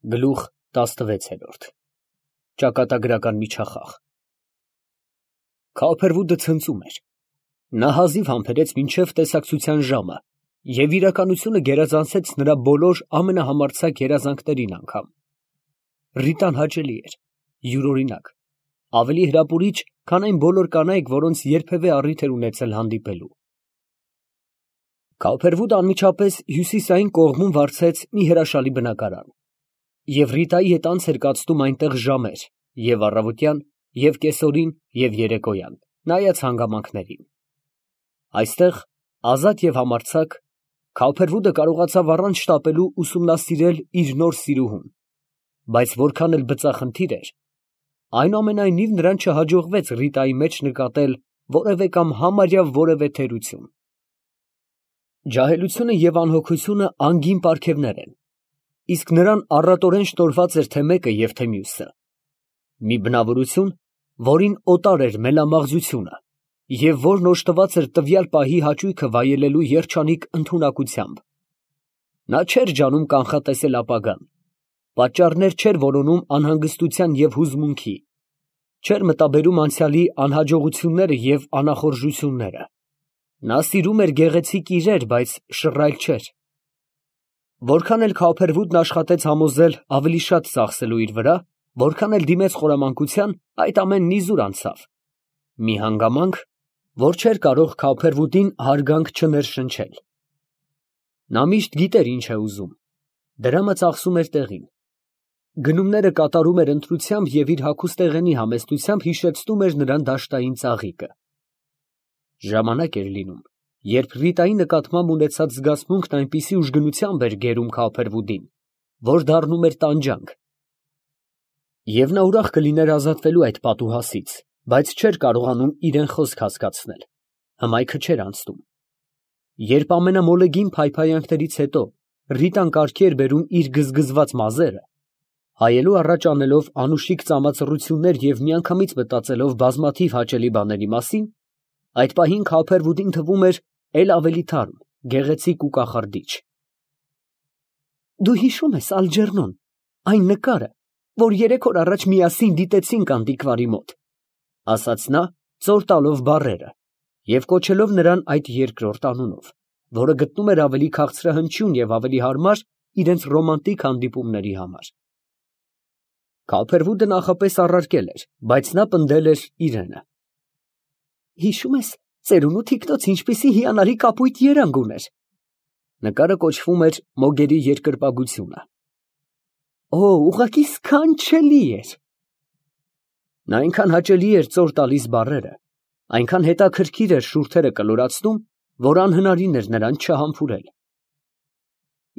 Գլուխ 16 Ճակատագրական միջախաղ Քալփերվուդը ցնծում էր։ Նա հազիվ համբերեց մինչև տեսակցության ժամը և իրականությունը գերազանցեց նրա բոլոր ամենահամարձակ երազանքներին անգամ։ Ռիտան հաճելի էր, յուրօրինակ, ավելի հրապուրիչ, քան այն բոլոր կանայք, որոնց երբևէ առիթ էր ունեցել հանդիպելու։ Քալփերվուդը անմիջապես հյուսիսային կողմում վարձեց մի հրաշալի բնակարան, և Ռիտայի հետ անց էր կացնում այնտեղ ժամեր և առավոտյան, և կեսօրին, և երեկոյան, նայած հանգամանքներին։ Այստեղ, ազատ և համարձակ, Քալփերվուդը կարողացավ առանց շտապելու ուսումնասիրել իր նոր սիրուհուն, բայց որքան էլ բծախնդիր էր, այնուամենայնիվ նրան չհաջողվեց Ռիտայի մեջ նկատել որևէ կամ համարյա որևէ թերություն։ Ջահելությունը և անհոգությունը անգին պարգևներ են, իսկ նրան առատորեն շնորհված էր թե մեկը և թե մյուսը։ Մի բնավորություն, որին օտար էր մելամաղձությունը, և որն օժտված էր տվյալ պահի հաճույքը վայելելու երջանիկ ընդունակությամբ։ Նա չէր ջանում կանխատեսել ապագան, պատճառներ չէր որոնում անհանգստության և հուզմունքի, չէր մտաբերում անցյալի անհաջողությունները և անախորժությունները։ Նա սիրում էր գեղեցիկ իրեր, բայց շռայլ չէր։ Որքան էլ Քալփերվուդն աշխատեց համոզել ավելի շատ ծախսելու իր վրա, որքան էլ դիմեց խորամանկության, այդ ամենն իզուր անցավ։ Մի հանգամանք, որ չէր կարող Քալփերվուդին հարգանք չներշնչել։ Նա միշտ գիտեր ինչ է ուզում, դրամը ծախսում էր տեղին։ Գնումները կատարում էր ընտրությամբ և իր հագուստեղենի համեստությամբ հիշեցնում էր նրան դաշտային ծաղիկը։ Ժամանակ էր լինում, երբ Ռիտայի նկատմամբ ունեցած զգացմունքն այնպիսի ուժգնությամբ էր գերում Քալփերվուդին, որ դառնում էր տանջանք։ Եվ նա ուրախ կլիներ ազատվելու այդ պատուհասից, բայց չէր կարողանում իրան խոսք հասկացնել, հմայքը չէր անցնում։ Երբ ամենամոլեգին փայփայանքներից հետո Ռիտան կարգի էր բերում իր գզգզված մազերը, հայելու առաջ անելով անուշիկ ծամածռություններ և միանգամից մտածելով բազմաթիվ հաճելի բաների մասին, այդ պահին Քալփերվուդին թվում էր էլ ավելի թարմ, գեղեցիկ ու կախարդիչ։ «Դու հիշո՞ւմ ես, Ալջերնոն, այն նկարը, որ 3 օր առաջ միասին դիտեցինք անտիկվարի մոտ», ֊ ասաց նա, ծոր տալով բառերը և կոչելով նրան այդ երկրորդ անունով, որը գտնում էր ավելի քաղցրահնչյուն և ավելի հարմար իրենց ռոմանտիկ հանդիպումների համար։ Քալփերվուդը նախապես առարկել էր, բայց նա պնդել էր իրենը։ «Հիշո՞ւմ ես, ծերունու թիկնոց ինչպիսի հիանալի կապույտ երանգ ուներ»։ Նկարը կոչվում էր Մոգերի երկրպագությունը։ «Օ, ուղղակի սքանչելի էր»։ Նա այնքան հաճելի էր ծոր տալիս բառերը, այնքան հետաքրքիր էր շուրթերը կլորացնում, որ անհնարին էր նրան չհամբուրել։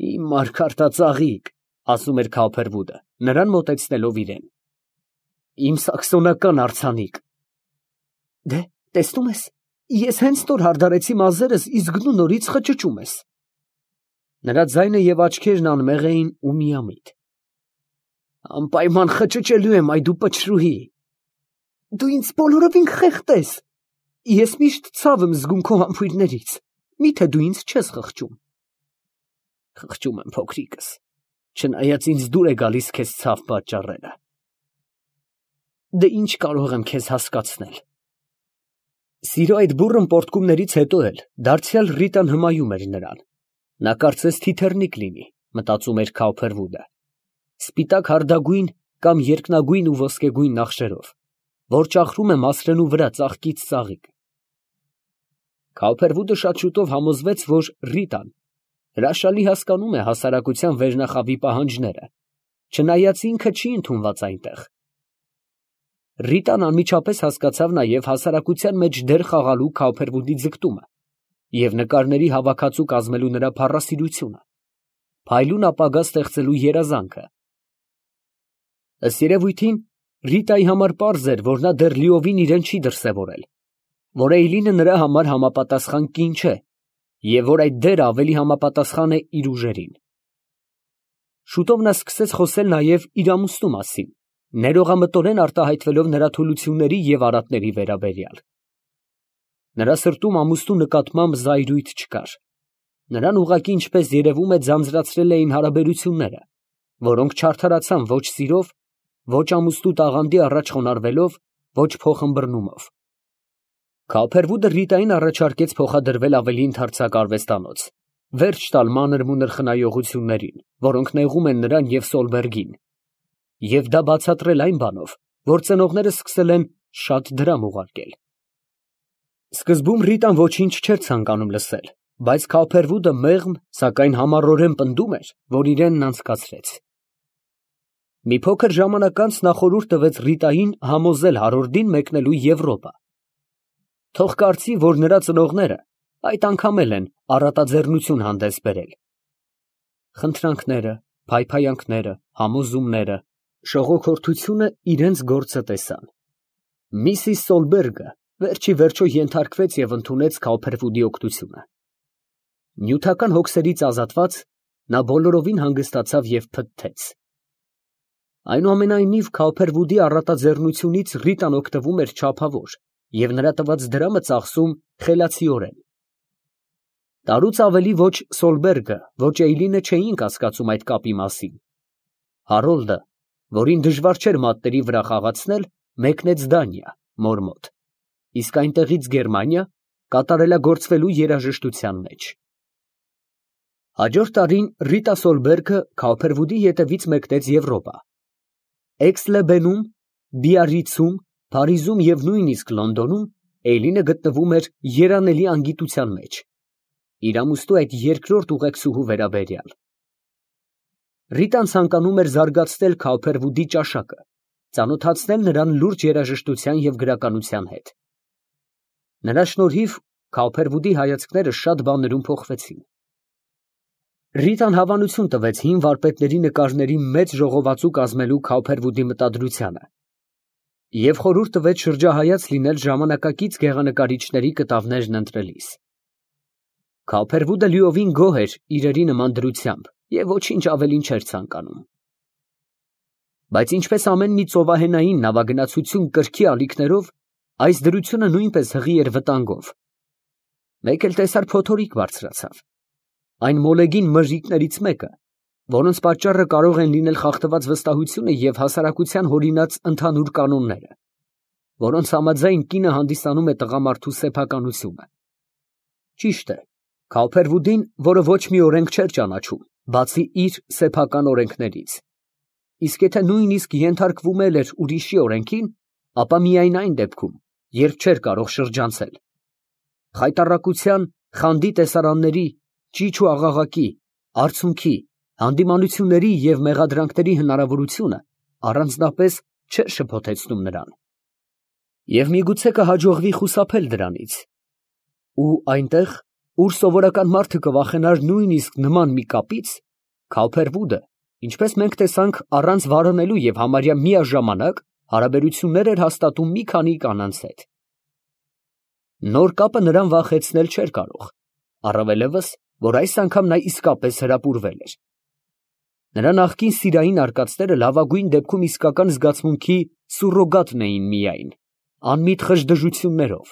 «Իմ մարգարտածաղիկ», ֊ ասում էր Քալփերվուդը, նրան մոտեցնելով իրան, «իմ սաքսոնական արձանիկ»։ «Դե, տեսնում ես, ես հենց նոր հարդարեցի մազերս, իսկ դու նորից խճճում ես»։ Նրա ձայնը և աչքերն անմեղ էին ու միամիտ։ «Անպայման խճճելու եմ, այ դու պչրուհի»։ «Դու ինձ բոլորովին խեղդես։ Ես միշտ ցավ եմ զգում քո համբույրներից, մի՞թե դու ինձ չես խղճում»։ «Խղճում եմ, փոքրիկս, չնայած ինձ դուր է գալիս քեզ ցավ պատճառելը»։ «Դե ինչ կարող եմ քեզ հասկացնել»։ Սիրո այդ բուռն պոռթկումներից հետո էլ դարձյալ Ռիտան հմայում էր նրան։ Նա կարծես թիթեռնիկ լինի, մտածում էր Քալփերվուդը, սպիտակ հարդագույն կամ երկնագույն ու ոսկեգույն նախշերով, որ ճախրում է մասրենու վրա ծաղկից ծաղիկ։ Քալփերվուդը շատ շուտով համոզվեց, որ Ռիտան հրաշալի հասկանում է հասարակության վերնախավի պահանջները, չնայած ինքը չի ընդունված այնտեղ։ Ռիտան անմիջապես հասկացավ նաև հասարակության մեջ դեր խաղալու Քալփերվուդի ձգտումը և նկարների հավաքածու կազմելու նրա փառասիրությունը, փայլուն ապագա ստեղծելու երազանքը։ Ըստ երևույթին, Ռիտայի համար պարզ էր, որ նա դեռ լիովին իրան չի դրսևորել, որ Էյլինը նրա համար համապատասխան կին չէ և որ այդ դերը ավելի համապատասխան է իր ուժերին։ Շուտով նա սկսեց խոսել նաև իր ամուսնու մասին, ներողամտորեն արտահայտվելով նրա թուլությունների և արատների վերաբերյալ։ Նրա սրտում ամուսնու նկատմամբ զայրույթ չկար։ Նրան ուղղակի, ինչպես երևում է, ձանձրացրել էին հարաբերությունները, որոնք չարդարացան ոչ սիրով, ոչ ամուսնու տաղանդի առաջ խոնարհվելով, ոչ փոխըմբռնումով։ Քալփերվուդը Ռիտային առաջարկեց փոխադրվել ավելի ընդարձակ արվեստանոց, վերջ տալ մանր-մունր խնայողություններին, որոնք նեղում են նրան և Սոլբերգին, և դա բացատրել այն բանով, որ ծնողները սկսել են շատ դրամ ուղարկել։ Սկզբում Ռիտան ոչինչ չէր ցանկանում լսել, բայց Քալփերվուդը մեղմ, սակայն համառորեն պնդում էր, որ իրենն անցկացրեց։ Մի փոքր ժամանակ անց նա խորհուրդ տվեց Ռիտային համոզել Հարորդին մեկնելու Եվրոպա։ Թող կարծի, որ նրա ծնողները այդ անգամ էլ են առատաձեռնություն հանդես բերել։ Խնդրանքները, փայփայանքները, համոզումները, շողոքորթությունը իրենց գործը տեսան։ Միսիս Սոլբերգը վերջի վերջո ենթարկվեց և ընդունեց Քալփերվուդի օգնությունը։ Նյութական հոգսերից ազատված, նա բոլորովին հանգստացավ և փթթեց։ Այնուամենայնիվ, Քալփերվուդի առատաձեռնությունից Ռիտան օգտվում էր չափավոր և նրա տված դրամը ծախսում խելացիորեն։ Տարուց ավելի ոչ Սոլբերգը, ոչ Էյլինը չէին կասկածում այդ կապի մասին։ Հարոլդը, որին դժվար չէր մատների վրա խաղացնել, մեկնեց Դանիա, մոր մոտ, իսկ այնտեղից Գերմանիա, կատարելագործվելու երաժշտության մեջ։ Հաջորդ տարին Ռիտա Սոլբերգը Քալփերվուդի ետևից մեկնեց Եվրոպա։ Էքս֊լե֊Բենում, Բիարրիցում, Փարիզում և նույնիսկ Լոնդոնում Էյլինը գտնվում էր երանելի անգիտության մեջ, իր ամուսնու այդ երկրորդ ուղեկցուհու վերաբերյալ։ Ռիտան ցանկանում էր զարգացնել Քալփերվուդի ճաշակը, ծանոթացնել նրան լուրջ երաժշտության և գրականության հետ։ Նրա շնորհիվ Քալփերվուդի հայացքները շատ բաներում փոխվեցին։ Ռիտան հավանություն տվեց հին վարպետների նկարների մեծ ժողովածու կազմելու Քալփերվուդի մտադրությանը և խորհուրդ տվեց շրջահայաց լինել ժամանակակից գեղանկարիչների կտավներն ընտրելիս։ Քալփերվուդը լիովին գոհ էր իրերի նման դրությամբ և ոչինչ ավելին չէր ցանկանում։ Բայց ինչպես ամեն մի ծովահենային նավագնացություն կրքի ալիքներով, այս դրությունը նույնպես հղի էր վտանգով։ Մեկ էլ տեսար փոթորիկ բարձրացավ։ Այն մոլեգին մրրիկներից մեկը, որոնց պատճառը կարող են լինել խախտված վստահությունը և հասարակության հորինած ընդհանուր կանոնները, որոնց համաձայն կինը հանդիսանում է տղամարդու սեփականությունը։ Ճիշտ է, Քալփերվուդին, որը ոչ մի օրենք չէր ճանաչում, բացի իր սեփական օրենքներից, իսկ եթե նույնիսկ ենթարկվում էլ էր ուրիշի օրենքին, ապա միայն այն դեպքում, երբ չէր կարող շրջանցել։ Խայտառակության, խանդի տեսարանների, ճիչ ու աղաղակի, արցունքի, հանդիմանությունների և մեղադրանքների հնարավորությունը առանձնապես չէր շփոթեցնում նրան։ Եվ միգուցե կհաջողվի խուսափել դրանից։ Ու այնտեղ, ուր սովորական մարդը կվախենար նույնիսկ նման մի կապից, Քալփերվուդը, ինչպես մենք տեսանք, առանց վարոնելու և համարյա միաժամանակ հարաբերություններ էր հաստատում մի քանի կանանց հետ։ Նոր կապը նրան վախեցնել չէր կարող, առավելևս, որ այս անգամ նա իսկապես հրապուրվել էր։ Նրա նախկին սիրային արկածները լավագույն դեպքում իսկական զգացմունքի սուրրոգատն էին միայն, անմիտ խժդժություններով,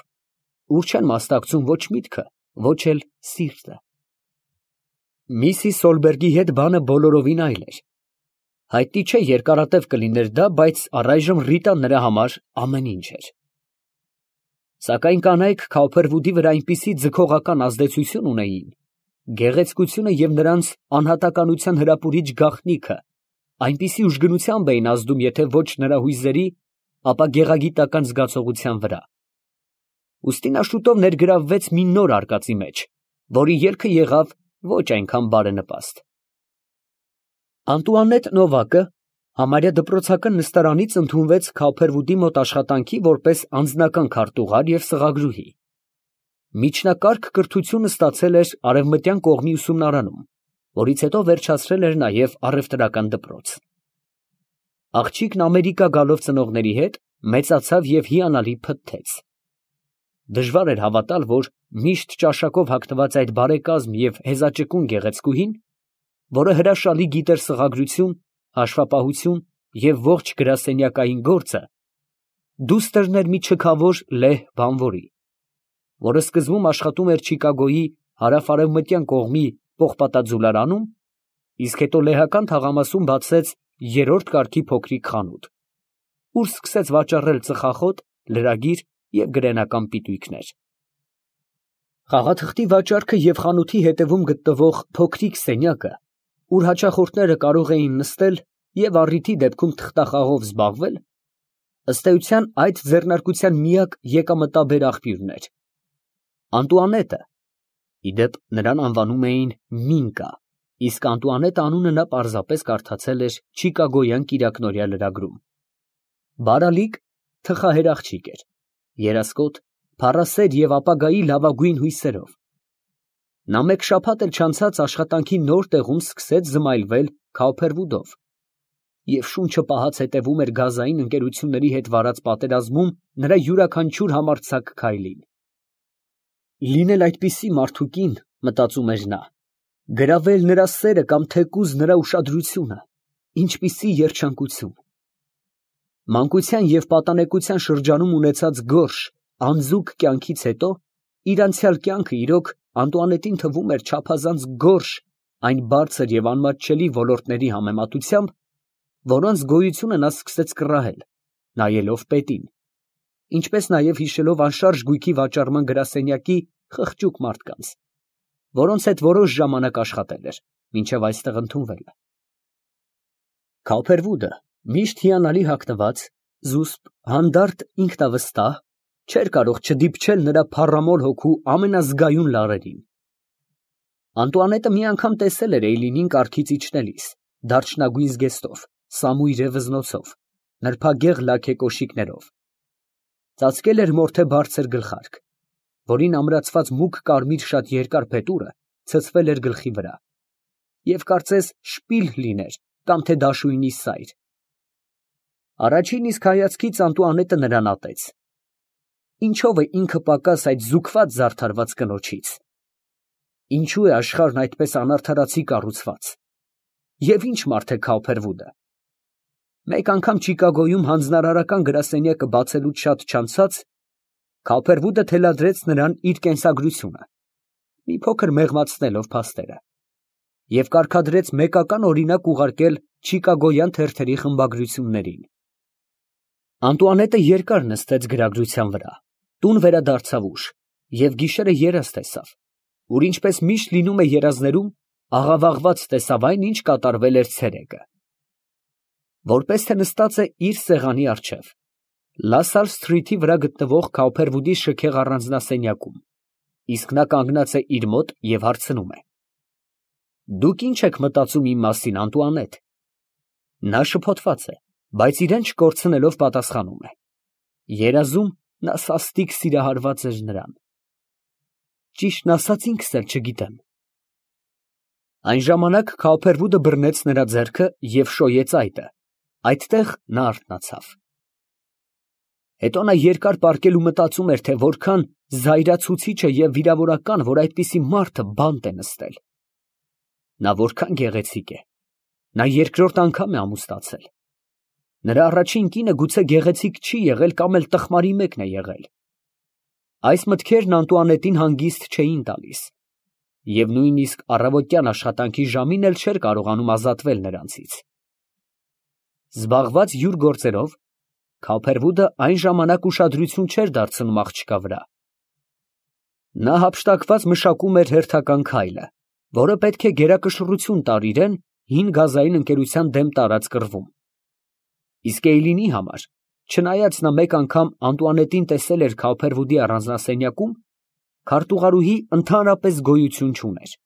ուր չեն մասնակցում ոչ միտքը, ոչ էլ սիրտը։ Միսիս Սոլբերգի հետ բանը բոլորովին այլ էր։ Հայտնի չէ երկարատև կլիներ դա, բայց առայժմ Ռիտան նրա համար ամեն ինչ էր։ Սակայն կանայք Քալփերվուդի վրա այնպիսի ձգողական ազդեցություն ունեին, գեղեցկությունը և նրանց անհատականության հրապուրիչ գաղտնիքը այնպիսի ուժգնությամբ էին ազդում եթե ոչ նրա հույզերի, ապա գեղագիտական զգացողության վրա։ Ուստի նա շուտով ներգրավվեց մի նոր արկածի մեջ, որի ելքը եղավ ոչ այնքան բարենպաստ։ Անտուանետ Նովակը համարյա դպրոցական նստարանից ընդունվեց Քալփերվուդի մոտ աշխատանքի որպես անձնական քարտուղար և սղագրուհի։ Միջնակարգ կրթությունը ստացել էր Արևմտյան կողմի ուսումնարանում, որից հետո վերջացրել էր նաև առևտրական դպրոց։ Աղջիկն Ամերիկա գալով ծնողների հետ մեծացավ և հիանալի փթթեց։ Դժվար էր հավատալ, որ միշտ ճաշակով հագնված այդ բարեկազմ և հեզաճկուն գեղեցկուհին, որը հրաշալի գիտեր սղագրություն, հաշվապահություն և ողջ գրասենյակային գործը, դուստրն էր մի չքավոր լեհ բանվորի, որը սկզբում աշխատում էր Չիկագոյի հարավ֊արևմտյան կողմի պողպատաձուլարանում, իսկ հետո լեհական թաղամասում բացեց երրորդ կարգի փոքրիկ խանութ, ուր սկսեց վաճառել ծխախոտ, լրագիր և գրենական պիտույքներ։ Խաղաթղթի վաճառքը և խանութի հետևում գտնվող փոքրիկ սենյակը, ուր հաճախորդները կարող էին նստել և առիթի դեպքում թղթախաղով զբաղվել, ըստ էության այդ ձեռնարկության միակ եկամտաբեր աղբյուրն էր։ Անտուանետը, ի դեպ նրան անվանում էին Մինկա, իսկ Անտուանետ անունը նա պարզապես կարդացել էր չիկագոյան կիրակնօրյա լրագրում, բարալիկ, թխահեր աղջիկ էր, երասկոտ, փառասեր և ապագայի լավագույն հույսերով։ Նա մեկ շաբաթ էլ չանցած աշխատանքի նոր տեղում սկսեց զմայլվել Քաուփերվուդով և շունչը պահած հետևում էր գազային ընկերությունների հետ վարած պատերազմում նրա յուրաքանչյուր համարձակ քայլին։ Լինել այդպիսի մարդու կին, մտածում էր նա, գրավել նրա սերը կամ թեկուզ նրա ուշադրությունը, ինչպիսի երջանկություն։ Մանկության և պատանեկության շրջանում ունեցած գորշ, անձուկ կյանքից հետո իր անցյալ կյանքը իրոք Անտուանետին թվում էր չափազանց գորշ այն բարձր և անմատչելի ոլորտների համեմատությամբ, որոնց գոյությունը նա սկսեց կռահել, նայելով պետին, ինչպես նաև հիշելով անշարժ գույքի վաճառման գրասենյակի խղճուկ մարդկանց, որոնց հետ որոշ ժամանակ աշխատել էր, մինչև այստեղ ընդունվելը։ Քաուփերվուդը, միշտ հիանալի հագնված, զուսպ, հանդարտ, ինքնավստահ, չէր կարող չդիպչել նրա փառամոլ հոգու ամենազգայուն լարերին։ Անտուանետը մի անգամ տեսել էր Էյլինին կառքից իջնելիս, դարչնագույն զգեստով, սամույր է վզնոցով, նրբագեղ լաք է կոշիկներով։ Ծածկել էր մորթե բարձր գլխարկ, որին ամրացված մուգ կարմիր շատ երկար փետուրը ցցվել էր գլխի վրա, և կարծես շպիլ լիներ կամ թե դաշույնի սայր։ Առաջին իսկ հայացքից Անտուանետը նրան ատեց։ Ինչո՞վ է ինքը պակաս այդ զուգված զարդարված կնոջից։ Ինչո՞ւ է աշխարհն այդպես անարդարացի կառուցված։ Եվ ի՞նչ մարդ է Քաուփերվուդը։ Մեկ անգամ Չիկագոյում հանձնարարական գրասենյակը բացելուց շատ չանցած Քաուփերվուդը թելադրեց նրան իր կենսագրությունը, մի փոքր մեղմացնելով փաստերը, և կարգադրեց մեկական օրինակ ուղարկել չիկագոյան թերթերի խմբագրություններին։ Անտուանետը երկար նստեց գրագրության վրա, տուն վերադարձավ ուշ և գիշերը երազ տեսավ, ուր ինչպես միշտ լինում է երազներում, աղավաղված տեսավ այն, ինչ կատարվել էր ցերեկը։ Որպես թե նստած է իր սեղանի առջև, Լա Սալ Սթրիթի վրա գտնվող Քաուփերվուդի շքեղ առանձնասենյակում, իսկ նա կանգնած է իր մոտ և հարցնում է. «Դուք ի՞նչ եք մտածում իմ մասին, Անտուանետ»։ Նա շփոթված է, բայց իրեն չկորցնելով պատասխանում է. երազում նա սաստիկ սիրահարված էր նրան։ Ճիշտն ասած, ինքս էլ չգիտեմ։ Այն ժամանակ Քաուփերվուդը բռնեց նրա ձեռքը և շոյեց այտը, այդտեղ նա արթնացավ։ Հետո նա երկար պառկել ու մտածում էր, թե որքան զայրացուցիչ է և վիրավորական, որ այդպիսի մարդը բանտ է նստել։ Նա որքան գեղեցիկ է։ Նա երկրորդ անգամ է ամուսնացել։ Նրա առաջին կինը գուցե գեղեցիկ չի եղել կամ էլ տխմարի մեկն է եղել։ Այս մտքերն Անտուանետին հանգիստ չէին տալիս, և նույնիսկ առավոտյան աշխատանքի ժամին էլ չէր կարողանում ազատվել նրանցից։ Զբաղված յուր գործերով, Քաուփերվուդը այն ժամանակ ուշադրություն չէր դարձնում աղջկա վրա։ Նա հափշտակված մշակում էր հերթական քայլը, որը պետք է գերակշռություն տար իրան հին գազային ընկերության դեմ տարած կռվում։ Իսկ Էյլինի համար, չնայած նա մեկ անգամ Անտուանետին տեսել էր Քաուփերվուդի առանձնասենյակում, քարտուղարուհի ընդհանրապես գոյություն չուներ։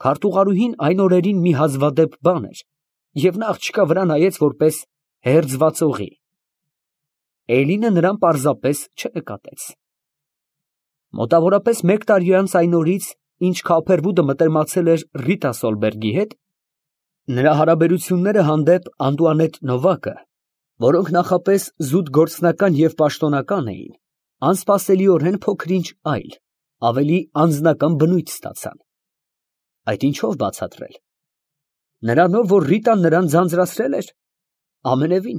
Քարտուղարուհին այն օրերին մի հազվադեպ բան էր, և նա աղջկա վրա նայեց որպես հերձվածողի։ Էյլինը նրան պարզապես չնկատեց։ Մոտավորապես մեկ տարի անց այն օրից, ինչ Քաուփերվուդը մտերմացել էր Ռիտա Սոլբերգի հետ, նրա հարաբերությունները հանդեպ Անտուանետ Նովակը, որոնք նախապես զուտ գործնական և պաշտոնական էին, անսպասելիորեն փոքր-ինչ այլ, ավելի անձնական բնույթ ստացան։ Այդ ինչո՞վ բացատրել։ Նրանով, որ Ռիտան նրան ձանձրացրել էր։ Ամենևին։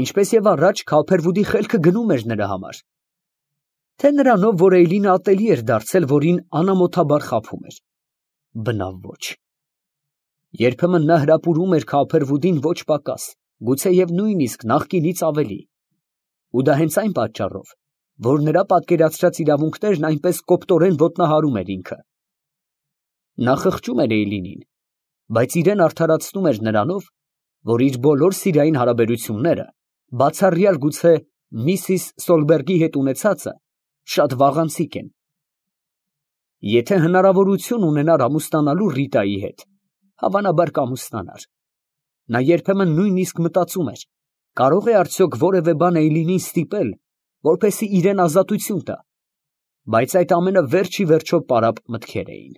Ինչպես և առաջ, Քաուփերվուդի խելքը գնում էր նրա համար։ Թե նրանով, որ Էյլինը ատելի էր դարձել, որին անամոթաբար խաբում էր։ Բնավ ոչ։ Երբեմն նա հրապուրում էր Քափերվուդին ոչ պակաս, գուցեև նույնիսկ նախկինից ավելի, ու դա հենց այն պատճառով, որ նրա պատկերացրած իրավունքներն այնպես կոպտորեն ոտնահարում էր ինքը։ Նա խղճում էր Էյլինին, բայց իրան արդարացնում էր նրանով, որ իր բոլոր սիրային հարաբերությունները, բացառյալ գուցե Միսիս Սոլբերգի հետ ունեցածը, շատ վաղանցիկ են։ Եթե հնարավորություն ունենար ամուսնանալու Ռիտայի հետ, հավանաբար կամուսնանար։ Նա երբեմն նույնիսկ մտածում էր, կարող է արդյոք որևէ բան Էյլինին ստիպել, որպեսզի իրան ազատություն տա, բայց այդ ամենը վերջ ի վերջո պարապ մտքեր էին։